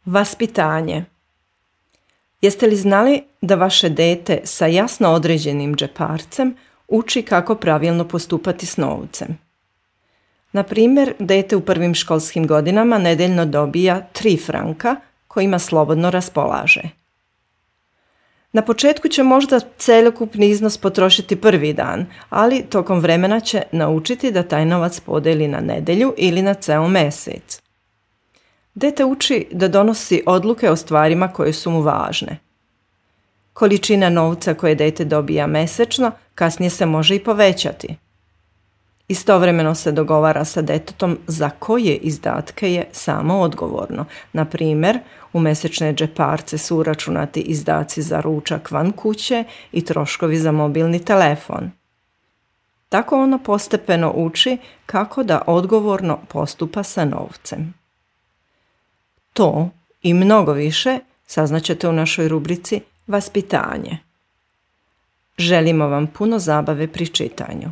Vaspitanje. Jeste li znali da vaše dijete sa jasno određenim džeparcem uči kako pravilno postupati s novcem? Na primjer, dijete u prvim školskim godinama nedeljno dobija 3 franka kojima slobodno raspolaže. Na početku će možda cjelokupni iznos potrošiti prvi dan, ali tokom vremena će naučiti da taj novac podijeli na nedjelju ili na ceo mjesec. Dijete uči da donosi odluke o stvarima koje su mu važne. Količina novca koje dijete dobija mjesečno kasnije se može i povećati. Istovremeno se dogovara sa djetetom za koje izdatke je samo odgovorno. Na primjer, u mjesečne džeparce su uračunati izdaci za ručak van kuće i troškovi za mobilni telefon. Tako ono postepeno uči kako da odgovorno postupa sa novcem. To i mnogo više saznaćete u našoj rubrici Vaspitanje. Želimo vam puno zabave pri čitanju.